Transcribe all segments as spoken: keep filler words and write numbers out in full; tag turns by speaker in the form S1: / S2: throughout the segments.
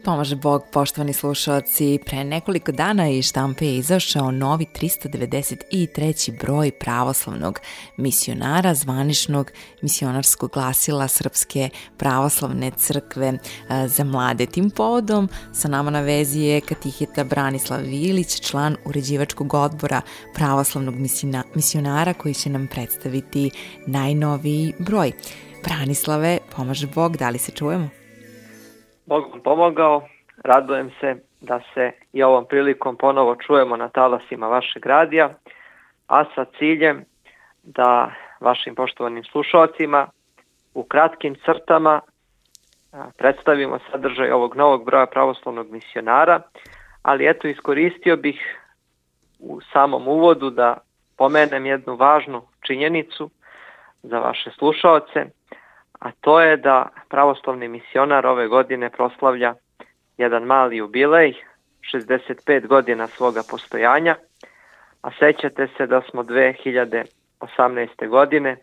S1: Pomaže Bog, poštovani slušalci, pre nekoliko dana iz štampe je izašao novi tristo devedeset treći broj pravoslavnog misionara, zvaničnog misionarskog glasila Srpske pravoslavne crkve za mlade. Tim povodom sa nama na vezi je katiheta Branislav Vilić, član uređivačkog odbora pravoslavnog misionara, koji će nam predstaviti najnoviji broj. Branislave, pomaže Bog, da li se čujemo?
S2: Bog vam pomogao, radujem se da se i ovom prilikom ponovo čujemo na talasima vašeg radija, a sa ciljem da vašim poštovanim slušalcima u kratkim crtama predstavimo sadržaj ovog novog broja pravoslavnog misionara, ali eto iskoristio bih u samom uvodu da pomenem jednu važnu činjenicu za vaše slušalce, a to je da pravoslavni misionar ove godine proslavlja jedan mali jubilej, šezdeset pet godina svoga postojanja, a sećate se da smo dve hiljade osamnaeste. godine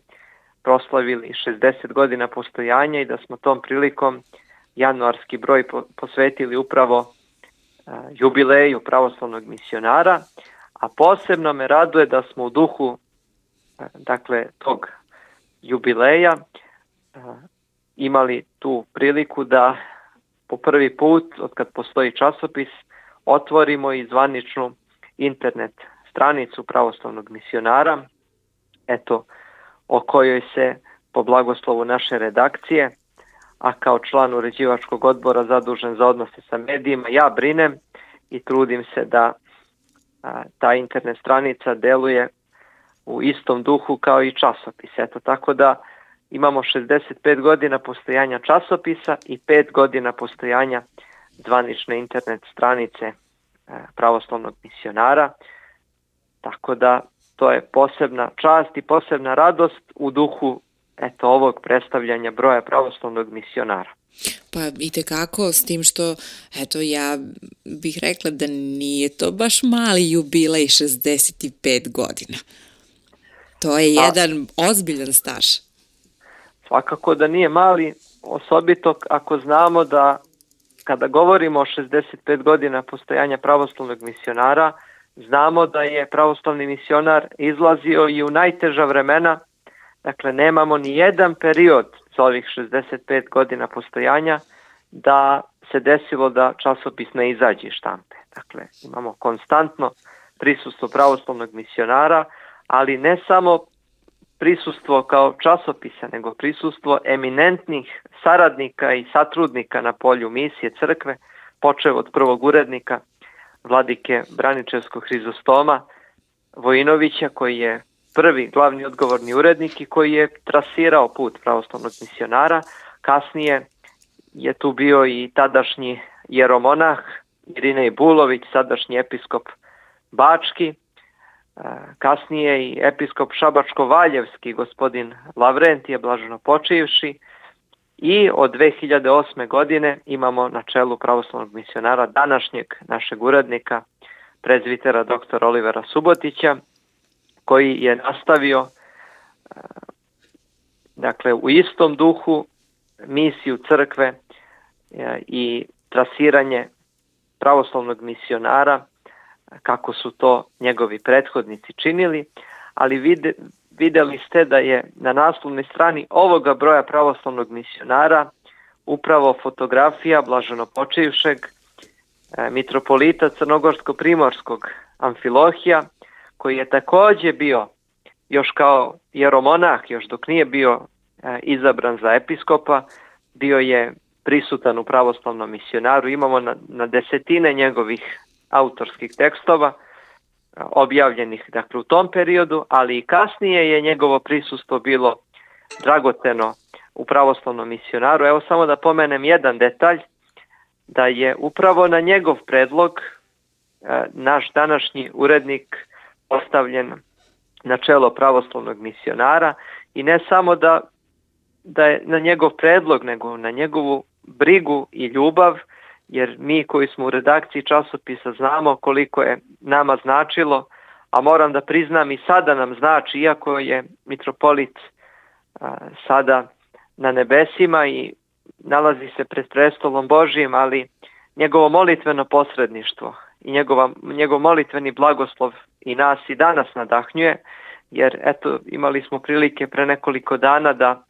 S2: proslavili šezdeset godina postojanja i da smo tom prilikom januarski broj posvetili upravo jubileju pravoslavnog misionara, a posebno me raduje da smo u duhu dakle tog jubileja imali tu priliku da po prvi put, od kad postoji časopis, otvorimo i zvaničnu internet stranicu pravoslavnog misionara, eto, o kojoj se po blagoslovu naše redakcije, a kao član uređivačkog odbora zadužen za odnose sa medijima, ja brinem i trudim se da a, ta internet stranica deluje u istom duhu kao i časopis. Eto, tako da imamo šezdeset pet godina postojanja časopisa i pet godina postojanja zvanične internet stranice pravoslavnog misionara, tako da to je posebna čast i posebna radost u duhu eto ovog predstavljanja broja pravoslavnog misionara.
S1: Pa itekako, s tim što, eto, ja bih rekla da nije to baš mali jubilej šezdeset pet godina. To je jedan A... ozbiljan staž.
S2: Svakako da nije mali, osobito ako znamo da kada govorimo o šezdeset pet godina postojanja pravoslavnog misionara, znamo da je pravoslavni misionar izlazio i u najteža vremena, dakle nemamo ni jedan period za ovih šezdeset pet godina postojanja da se desilo da časopis ne izađe iz štampe. Dakle, imamo konstantno prisustvo pravoslavnog misionara, ali ne samo prisustvo kao časopisa, nego prisustvo eminentnih saradnika i satrudnika na polju misije crkve, počev od prvog urednika vladike Braničevskog Hrizostoma Vojinovića, koji je prvi glavni odgovorni urednik i koji je trasirao put pravoslavnog misionara. Kasnije je tu bio i tadašnji jeromonah Irinej Bulović, sadašnji episkop Bački, kasnije i episkop Šabačko-Valjevski gospodin Lavrentije blaženo počivši, i od dve hiljade osme. godine imamo na čelu pravoslavnog misionara današnjeg našeg urednika, prezbitera doktora Olivera Subotića, koji je nastavio dakle u istom duhu misiju crkve i trasiranje pravoslavnog misionara kako su to njegovi prethodnici činili, ali vide, videli ste da je na naslovnoj strani ovoga broja pravoslavnog misionara upravo fotografija blaženopočivšeg e, mitropolita crnogorsko-primorskog Amfilohija, koji je također bio još kao jeromonah, još dok nije bio e, izabran za episkopa, bio je prisutan u pravoslavnom misionaru. Imamo na, na desetine njegovih autorskih tekstova objavljenih dakle u tom periodu, ali i kasnije je njegovo prisustvo bilo dragoceno u pravoslavnom misionaru. Evo samo da pomenem jedan detalj, da je upravo na njegov predlog e, naš današnji urednik postavljen na čelo pravoslavnog misionara, i ne samo da, da je na njegov predlog, nego na njegovu brigu i ljubav, jer mi koji smo u redakciji časopisa znamo koliko je nama značilo, a moram da priznam i sada nam znači, iako je mitropolit a, sada na nebesima i nalazi se pred prestolom Božijim, ali njegovo molitveno posredništvo i njegova, njegov molitveni blagoslov i nas i danas nadahnjuje, jer eto imali smo prilike pre nekoliko dana da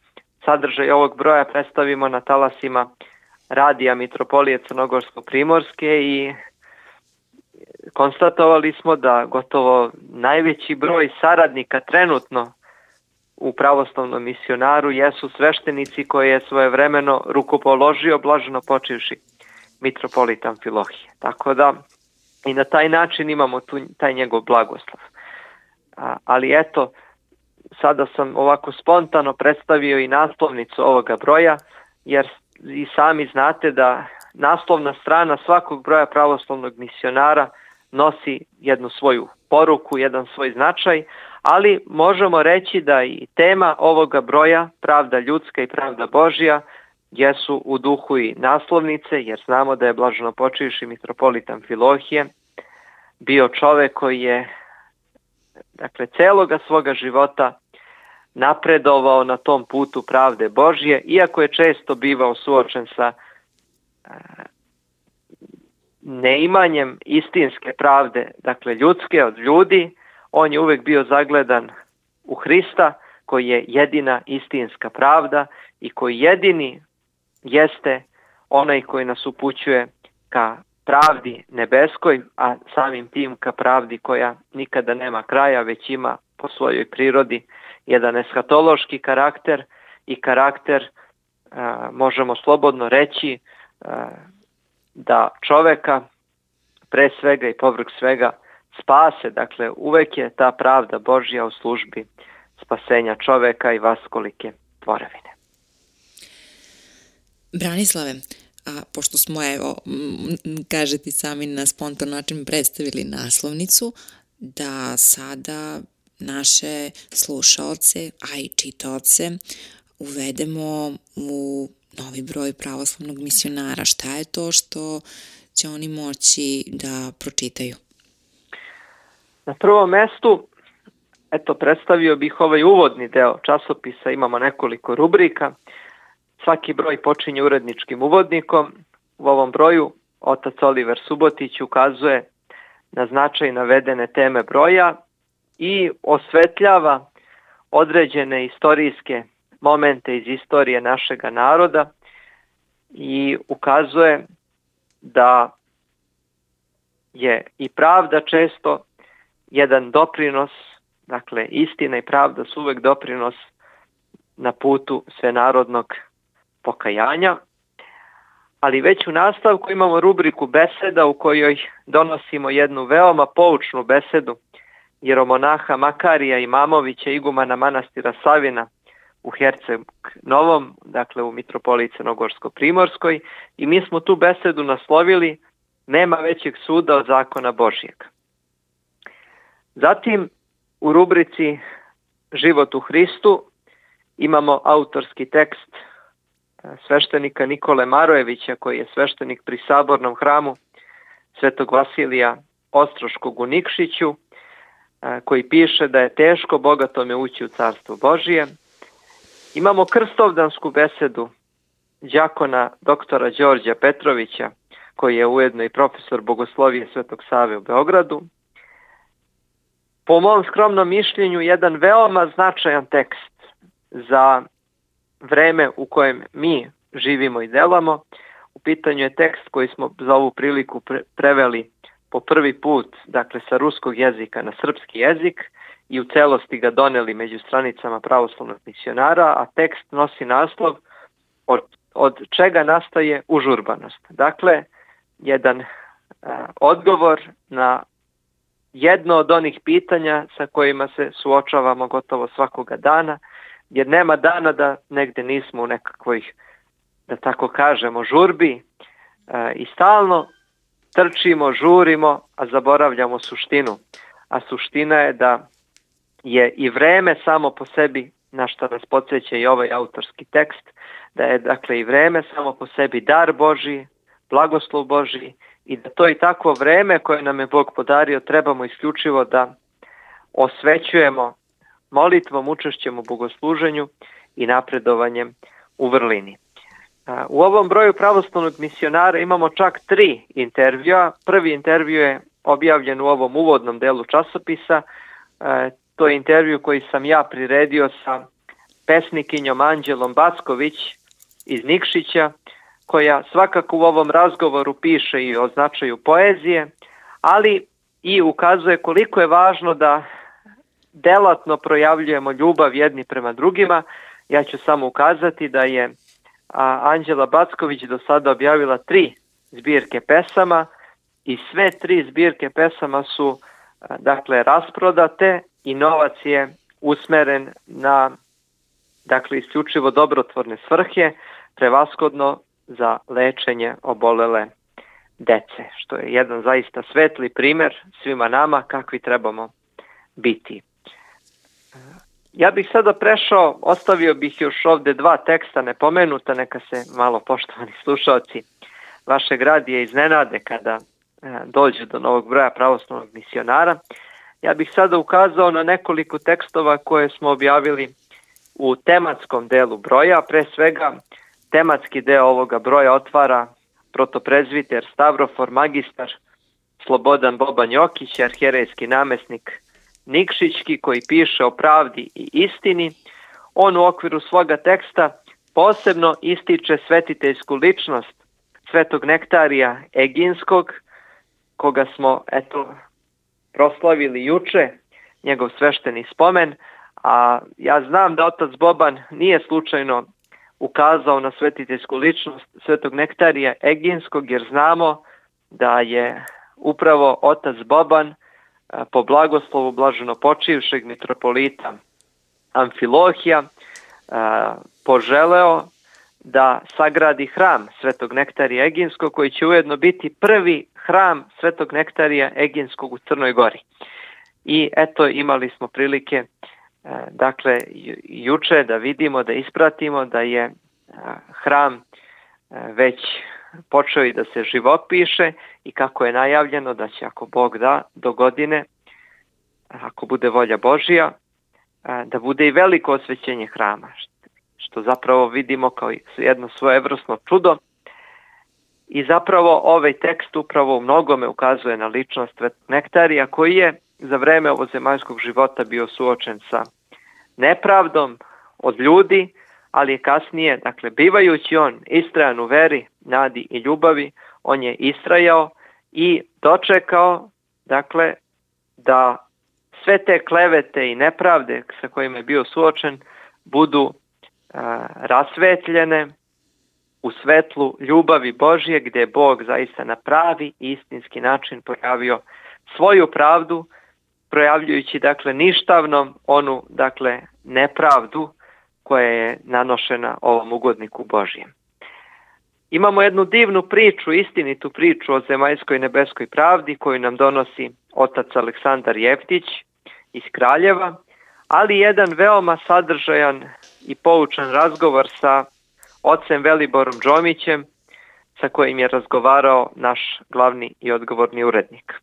S2: sadržaj ovog broja predstavimo na talasima radija Mitropolije Crnogorsko-Primorske i konstatovali smo da gotovo najveći broj saradnika trenutno u pravoslavnom misionaru jesu sveštenici koje je svojevremeno rukopoložio blaženo počivši mitropolit Amfilohije. Tako da i na taj način imamo tu, taj njegov blagoslov. A, ali eto, sada sam ovako spontano predstavio i naslovnicu ovoga broja, jer i sami znate da naslovna strana svakog broja pravoslavnog misionara nosi jednu svoju poruku, jedan svoj značaj, ali možemo reći da i tema ovoga broja, pravda ljudska i pravda Božja, jesu u duhu i naslovnice, jer znamo da je blaženo počivši mitropolit Amfilohije bio čovek koji je, dakle, celoga svoga života napredovao na tom putu pravde Božje, iako je često bivao suočen sa neimanjem istinske pravde, dakle ljudske od ljudi, on je uvek bio zagledan u Hrista, koji je jedina istinska pravda i koji jedini jeste onaj koji nas upućuje ka pravdi nebeskoj, a samim tim ka pravdi koja nikada nema kraja, već ima po svojoj prirodi jedan eshatološki karakter i karakter, a, možemo slobodno reći, a, da čoveka pre svega i povrh svega spase, dakle uvek je ta pravda Božja u službi spasenja čoveka i vaskolike tvorevine.
S1: Branislave, a pošto smo, evo, kažete sami na spontan način predstavili naslovnicu, da sada naše slušaoce, a i čitaoce uvedemo u novi broj pravoslavnog misionara. Šta je to što će oni moći da pročitaju?
S2: Na prvom mestu, eto, predstavio bih ovaj uvodni deo časopisa, imamo nekoliko rubrika. Svaki broj počinje uredničkim uvodnikom. U ovom broju otac Oliver Subotić ukazuje na značaj navedene teme broja i osvetljava određene istorijske momente iz istorije našega naroda i ukazuje da je i pravda često jedan doprinos, dakle istina i pravda su uvek doprinos na putu svenarodnog pokajanja, ali već u nastavku imamo rubriku beseda u kojoj donosimo jednu veoma poučnu besedu jeromonaha Makarija Imamovića, igumana manastira Savina u Herceg Novom, dakle u mitropoliji Crnogorsko-Primorskoj, i mi smo tu besedu naslovili Nema većeg suda od zakona Božjeg. Zatim u rubrici Život u Hristu imamo autorski tekst sveštenika Nikole Marojevića, koji je sveštenik pri Sabornom hramu Svetog Vasilija Ostroškog u Nikšiću, koji piše da je teško bogatome ući u carstvo Božije. Imamo krstovdansku besedu đakona doktora Đorđa Petrovića, koji je ujedno i profesor bogoslovije Svetog Save u Beogradu. Po mom skromnom mišljenju, jedan veoma značajan tekst za vreme u kojem mi živimo i delamo. U pitanju je tekst koji smo za ovu priliku pre- preveli po prvi put, dakle sa ruskog jezika na srpski jezik, i u celosti ga doneli među stranicama pravoslavnog misionara, a tekst nosi naslov od, od čega nastaje užurbanost. Dakle, jedan a, odgovor na jedno od onih pitanja sa kojima se suočavamo gotovo svakoga dana, jer nema dana da negde nismo u nekakvoj, da tako kažemo, žurbi a, i stalno trčimo, žurimo, a zaboravljamo suštinu. A suština je da je i vreme samo po sebi, na što nas podsjeća i ovaj autorski tekst, da je dakle i vreme samo po sebi dar Božji, blagoslov Božji, i da to i takvo vreme koje nam je Bog podario trebamo isključivo da osvećujemo molitvom, učešćem u bogosluženju i napredovanjem u vrlini. U ovom broju pravoslavnog misionara imamo čak tri intervjua. Prvi intervju je objavljen u ovom uvodnom delu časopisa. To je intervju koji sam ja priredio sa pesnikinjom Anđelom Backović iz Nikšića, koja svakako u ovom razgovoru piše i o značaju poezije, ali i ukazuje koliko je važno da delatno projavljujemo ljubav jedni prema drugima. Ja ću samo ukazati da je Anđela Backović do sada objavila tri zbirke pesama i sve tri zbirke pesama su dakle rasprodate i novac je usmeren na dakle isključivo dobrotvorne svrhe, prevashodno za lečenje obolele dece, što je jedan zaista svetli primjer svima nama kakvi trebamo biti. Ja bih sada prešao, ostavio bih još ovde dva teksta nepomenuta, neka se malo poštovani slušalci vašeg radija iznenade kada dođe do novog broja pravoslavnog misionara. Ja bih sada ukazao na nekoliko tekstova koje smo objavili u tematskom delu broja. Pre svega, tematski deo ovoga broja otvara protoprezviter Stavrofor magistar Slobodan Boban Jokić, arhijerejski namesnik Nikšićki, koji piše o pravdi i istini. On u okviru svoga teksta posebno ističe svetiteljsku ličnost svetog Nektarija Eginskog, koga smo eto proslavili juče, njegov svešteni spomen, a ja znam da otac Boban nije slučajno ukazao na svetiteljsku ličnost svetog Nektarija Eginskog, jer znamo da je upravo otac Boban po blagoslovu blaženo počivšeg mitropolita Amfilohija poželeo da sagradi hram svetog Nektarija Eginskog, koji će ujedno biti prvi hram svetog Nektarija Eginskog u Crnoj Gori. I eto, imali smo prilike dakle juče da vidimo, da ispratimo da je hram već počeo i da se živopiše i kako je najavljeno da će, ako Bog da, do godine, ako bude volja Božja, da bude i veliko osvećenje hrama, što zapravo vidimo kao jedno svojevrsno čudo. I zapravo ovaj tekst upravo u mnogome ukazuje na ličnost svetog Nektarija, koji je za vreme ovozemaljskog života bio suočen sa nepravdom od ljudi, ali je kasnije, dakle, bivajući on istrajan u veri, nadi i ljubavi, on je istrajao i dočekao, dakle, da sve te klevete i nepravde sa kojima je bio suočen budu a, rasvetljene u svetlu ljubavi Božje, gdje je Bog zaista na pravi i istinski način projavio svoju pravdu, projavljujući, dakle, ništavnom onu, dakle, nepravdu koja je nanošena ovom ugodniku Božjem. Imamo jednu divnu priču, istinitu priču o zemaljskoj nebeskoj pravdi koju nam donosi otac Aleksandar Jeftić iz Kraljeva, ali jedan veoma sadržajan i poučan razgovor sa ocem Veliborom Džomićem, sa kojim je razgovarao naš glavni i odgovorni urednik.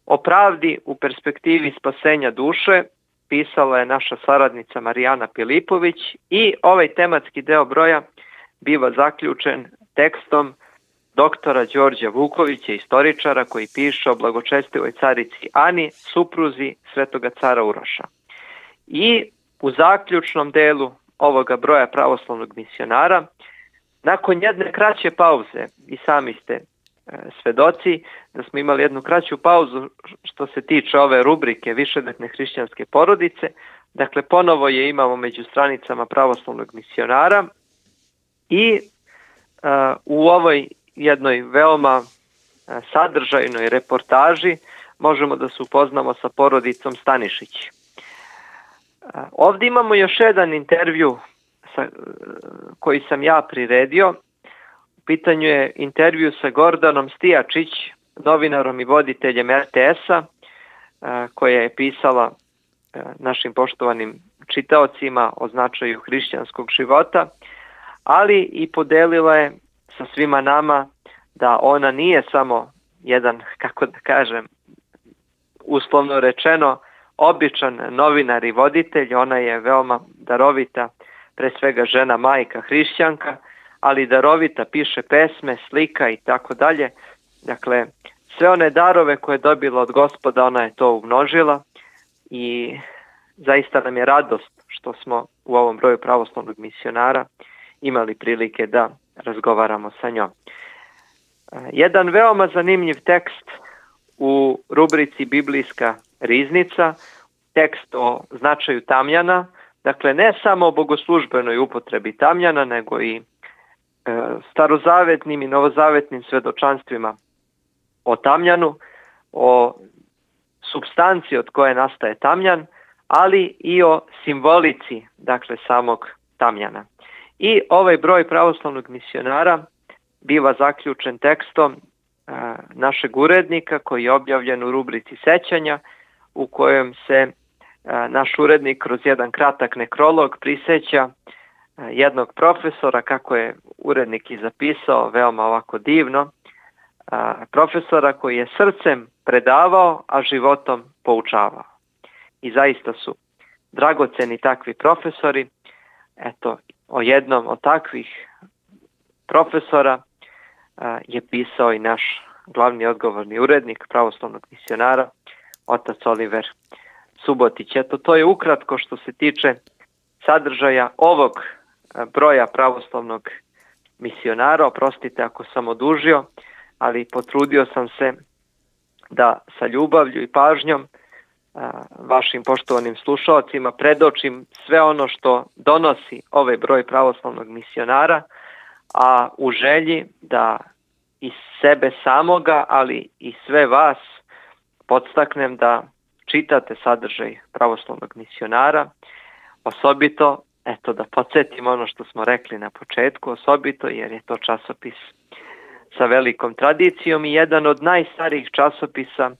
S2: O pravdi u perspektivi spasenja duše pisala je naša saradnica Marijana Pilipović i ovaj tematski deo broja biva zaključen tekstom doktora Đorđa Vukovića, istoričara, koji piše o blagočestivoj carici Ani, supruzi svetoga cara Uroša. I u zaključnom delu ovoga broja pravoslavnog misionara, nakon jedne kraće pauze, i sami ste e, svedoci da smo imali jednu kraću pauzu što se tiče ove rubrike višedetne hrišćanske porodice, dakle ponovo je imamo među stranicama pravoslavnog misionara i e, u ovoj jednoj veoma e, sadržajnoj reportaži možemo da se upoznamo sa porodicom Stanišić. E, ovdje imamo još jedan intervju sa, koji sam ja priredio. U pitanju je intervju sa Gordanom Stijačić, novinarom i voditeljem er te es-a, koja je pisala našim poštovanim čitaocima o značaju hrišćanskog života, ali i podelila je sa svima nama da ona nije samo jedan, kako da kažem, uslovno rečeno, običan novinar i voditelj, ona je veoma darovita, pre svega žena, majka, hrišćanka, ali darovita, piše pesme, slika i tako dalje. Dakle, sve one darove koje je dobila od Gospoda, ona je to umnožila i zaista nam je radost što smo u ovom broju pravoslavnog misionara imali prilike da razgovaramo sa njom. Jedan veoma zanimljiv tekst u rubrici Biblijska riznica, tekst o značaju tamjana, dakle ne samo o bogoslužbenoj upotrebi tamjana, nego i e, starozavetnim i novozavetnim svedočanstvima o tamjanu, o supstanciji od koje nastaje tamjan, ali i o simbolici, dakle, samog tamjana. I ovaj broj pravoslavnog misionara biva zaključen tekstom a, našeg urednika koji je objavljen u rubrici Sećanja, u kojem se a, naš urednik kroz jedan kratak nekrolog priseća a, jednog profesora, kako je urednik i zapisao, veoma ovako divno, a, profesora koji je srcem predavao, a životom poučavao. I zaista su dragoceni takvi profesori. Eto, o jednom od takvih profesora a, je pisao i naš glavni odgovorni urednik pravoslavnog misionara, otac Oliver Subotić. Eto, to je ukratko što se tiče sadržaja ovog a, broja pravoslavnog misionara. Oprostite ako sam odužio, ali potrudio sam se da sa ljubavlju i pažnjom vašim poštovanim slušalcima predočim sve ono što donosi ovaj broj pravoslavnog misionara, a u želji da i sebe samoga, ali i sve vas podstaknem da čitate sadržaj pravoslavnog misionara, osobito, eto da podsjetim ono što smo rekli na početku, osobito jer je to časopis sa velikom tradicijom i jedan od najstarijih časopisa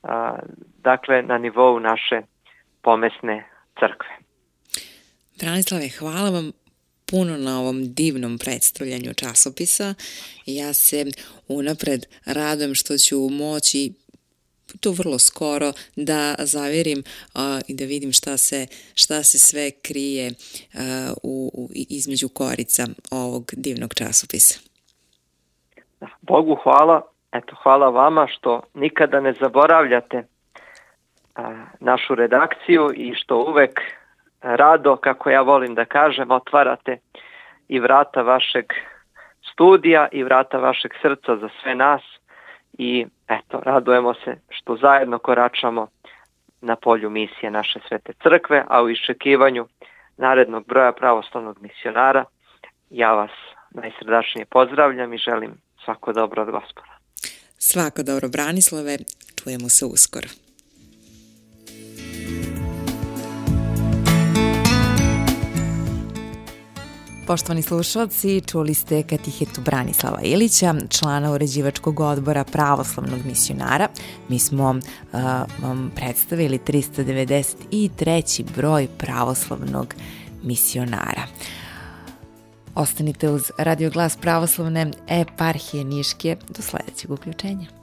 S2: A, dakle na nivou naše pomesne crkve.
S1: Branislave, hvala vam puno na ovom divnom predstavljanju časopisa. Ja se unapred radujem što ću moći to vrlo skoro da zaverim a, i da vidim šta se, šta se sve krije a, u, u, između korica ovog divnog časopisa.
S2: Da, Bogu hvala. Eto, hvala vama što nikada ne zaboravljate a, našu redakciju i što uvek rado, kako ja volim da kažem, otvarate i vrata vašeg studija i vrata vašeg srca za sve nas i eto, radujemo se što zajedno koračamo na polju misije naše Svete Crkve, a u iščekivanju narednog broja pravoslavnog misionara ja vas najsrdačnije pozdravljam i želim svako dobro od Gospoda.
S1: Svako dobro, Branislave, čujemo se uskoro. Poštovani slušalci, čuli ste katehetu Branislava Ilića, člana uređivačkog odbora pravoslavnog misionara. Mi smo uh, vam predstavili tristo devedeset treći broj pravoslavnog misionara. Ostanite uz Radio Glas pravoslavne eparhije Niške do sledećeg uključenja.